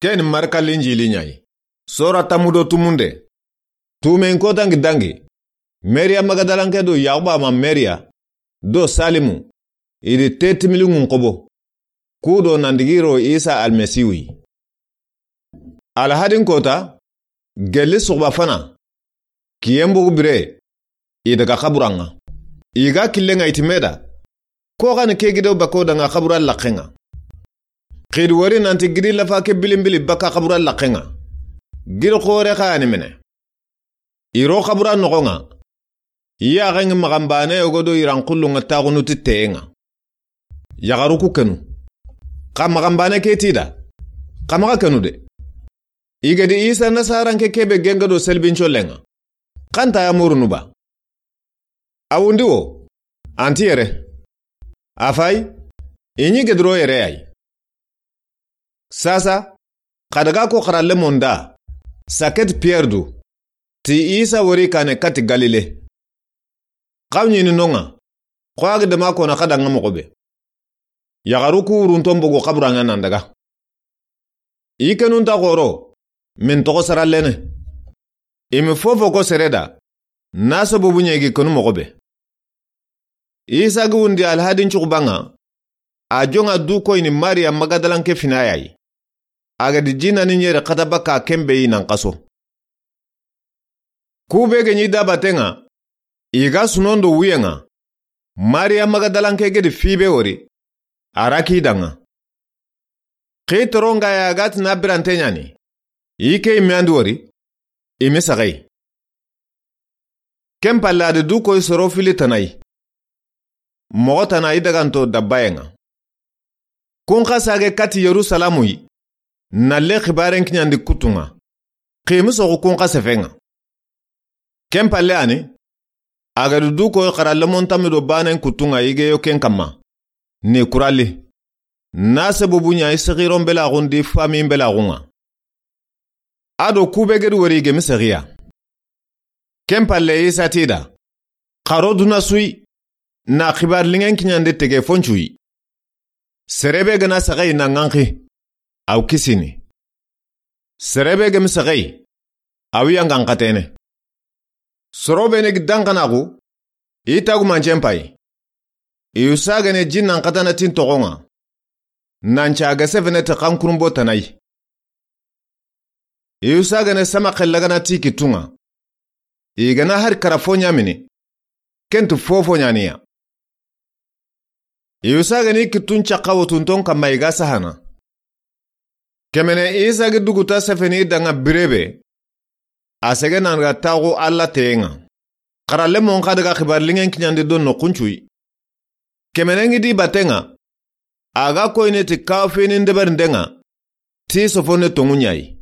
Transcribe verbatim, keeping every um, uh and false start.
Ken Marka Linjili ɲa yi. Sora tammu do tumunde. Tuumen kota ŋa dangi, Mariya Magadalanke do Yaxuba ma Mariya do Salimu, i di te timiliŋun xobo, ku do nan digi ro Isa Almasihu yi. Alahadin kota, gelli suxuba fana, kiyen bogu bire, i daga xaburan ŋa. I ga killen ŋa, i ti me da, ko xa ni ke gido bako da ŋa xaburan laxen ŋa. Xidi wori nanti gidi lafa ke bilinbili baka xaburan laxen ŋa. Gidi xoore xa ya ni mene. I ro xaburan noxon ŋa, i yaxen ŋa maxanbane yogo do i ran xullun ŋa taxunu ti teyen ŋa. Yaxaru ku kenu. Xa maxanbane ke ti i da, xa maxa kenu de. I ga di Isa Nasaranke ke be genga do selibin collen ŋa, xa nta ya murunu ba? A wundi wo, anti yere. A fay, i ɲi gediro yere ya yi. Sasa, xa daga ko xarallemon da, saket Piyere du, ti Isa wori kane kati Galile. Xa ɲi ni non ŋa, xo a ga dema kona xa danŋa moxo be. Yaxaru ku wurunton bogu xaburan ŋa nan daga. I kenun ta xoro, min toxo sarallene. I mi fofo ko sere da, na sababu ɲa i gi kenu moxo be. Isa gi wundi alahadin cuxuban ŋa, a jonŋa du koyini Mariya Magadalanke fina ya yi. A ga di jinani ɲere xata baka ken be yi nan xaso. Ku be ga ɲi dabaten ŋa, i ga sunon do wuyen ŋa, Mariya Magadalanke ga di fi be wori, a ra ki danŋa. Xi toron ga ya ga ti na birante ɲa ni, i ke i me an di wori, i mi saxe yi. Ken palle a di du koyi soro fili tana yi. Moxo tana i daganto dabbayen ŋa. Kun xa sage kati Yerusalamu yi, na le xibaren kiɲandi kuttun ŋa. Xi mi soxu kun xa sefen ŋa. Ken palle a ni, a ga di du koyi xarallemon tammi do banen kuttun ŋa i ge yo ken kamma, ni kuralli. Na sababu ɲa i sexiron belaxun di fami belaxun ŋa. A do ku be ga di wori i ge mi sexiya. Ken palle Isa ti i da, xaro duna su yi, na xibari liŋen kiɲandi tege foncu yi. Sere be ga na saxe yi na ŋanxi, a wa kisini. Sere be ga mi saxe yi, a wa yangan xatene. Soro be ne gi danxanaxu, i tagumancen pay. I yu sagene jinnan xatana tin toxon ŋa. Nan ca ga sefene ti xankurunbo tana yi. I yu sagene sama xellagana ti kittun ŋa. I ga na hari kara fo ɲa mini, ken ti fofo ɲa ni ya. I yu sagene i kittun cakka wotunton kamma i ga sahana. Kemene Isa gi duguta sefeni danŋa bire be, a sege nan ga taxu Alla teyen ŋa. Xarallemon xa daga xibari liŋen kiɲandi do noxun cu yi. Kemene ŋi di baten ŋa, a ga koyini ti kafini ndeberinden ŋa, ti sofonne tonŋu ɲa yi.